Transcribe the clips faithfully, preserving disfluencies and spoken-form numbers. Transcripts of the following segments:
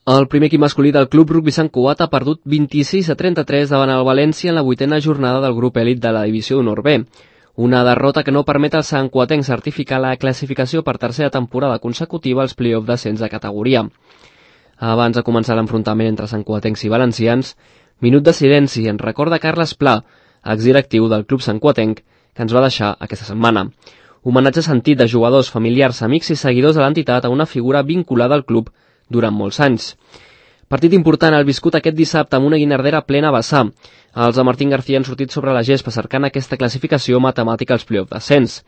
El primer equip masculí del Club Rugbi Sant Cugat ha perdut vint-i-sis a trenta-tres davant el València en la vuitena jornada del grup èlit de la Divisió d'Honor B. Una derrota que no permet al santcuatenc certificar la classificació per tercera temporada consecutiva als play-off d'ascens de categoria. Abans de començar l'enfrontament entre santcuatencs i valencians, minut de silenci en record de Carles Pla, exdirectiu del Club Santcuatenc, que ens va deixar aquesta setmana. Homenatge sentit de jugadors, familiars, amics i seguidors de l'entitat a una figura vinculada al club durant molts anys. Partit important el viscut aquest dissabte amb una guinardera plena a vessar. Els de Martín García han sortit sobre la gespa cercant aquesta classificació matemàtica als play-off d'ascens.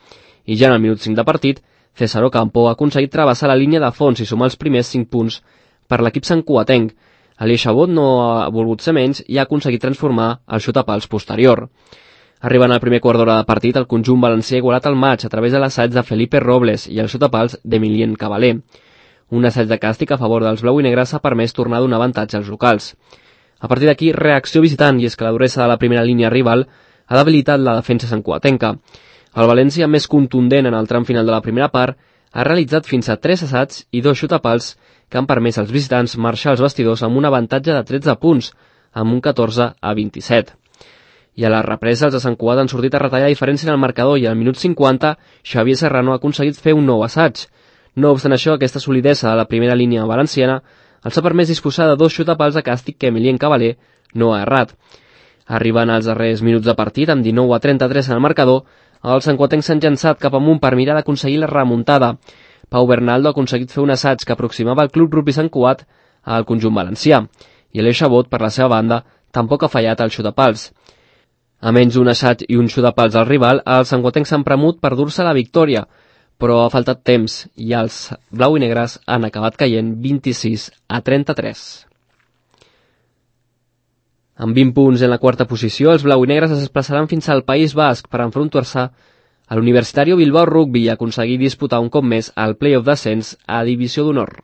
I ja en el minut cinc de partit, César Ocampo ha aconseguit travessar la línia de fons i sumar els primers cinc punts per l'equip santcuatenc. Alier Chabot no ha volgut ser menys i ha aconseguit transformar el xutapals posterior. Arribant al primer quart d'hora de partit, el conjunt valencià ha igualat el maig a través de l'assaig de Felipe Robles i el xutapals d'Emilien Cavaler. Un assaig de càstig a favor dels blau i negres ha permès tornar a donar avantatge als locals. A partir d'aquí, reacció visitant, i és que la duresa de la primera línia rival ha debilitat la defensa santcuatenca. El València, més contundent en el tram final de la primera part, ha realitzat fins a tres assaigs i dos xutapals que han permès als visitants marxar als vestidors amb un avantatge de tretze punts, amb un catorze a vint-i-set. I a la represa, els de Sant Cugat han sortit a retallar diferència en el marcador i al minut cinquanta, Xavier Serrano ha aconseguit fer un nou assaig. No obstant això, aquesta solidesa de la primera línia valenciana els ha permès disposar de dos xutapals de càstig que Emilien Cavaler no ha errat. Arribant als darrers minuts de partit, amb dinou a trenta-tres en el marcador, els santcuatencs s'han llançat cap amunt per mirar d'aconseguir la remuntada. Pau Bernaldo ha aconseguit fer un assaig que aproximava el Club Rugbi Sant Cugat al conjunt valencià, i Alier Chabot, per la seva banda, tampoc ha fallat el xutapals. A menys d'un assaig i un xutapals al rival, els santcuatencs s'han premut per dur-se la victòria, però ha faltat temps i els blau i negres han acabat caient vint-i-sis a trenta-tres. Amb vint punts en la quarta posició, els blau i negres es desplaçaran fins al País Basc per enfrontar-se a l'Universitario Bilbao Rugby i aconseguir disputar un cop més el play-off d'ascens a Divisió d'Honor.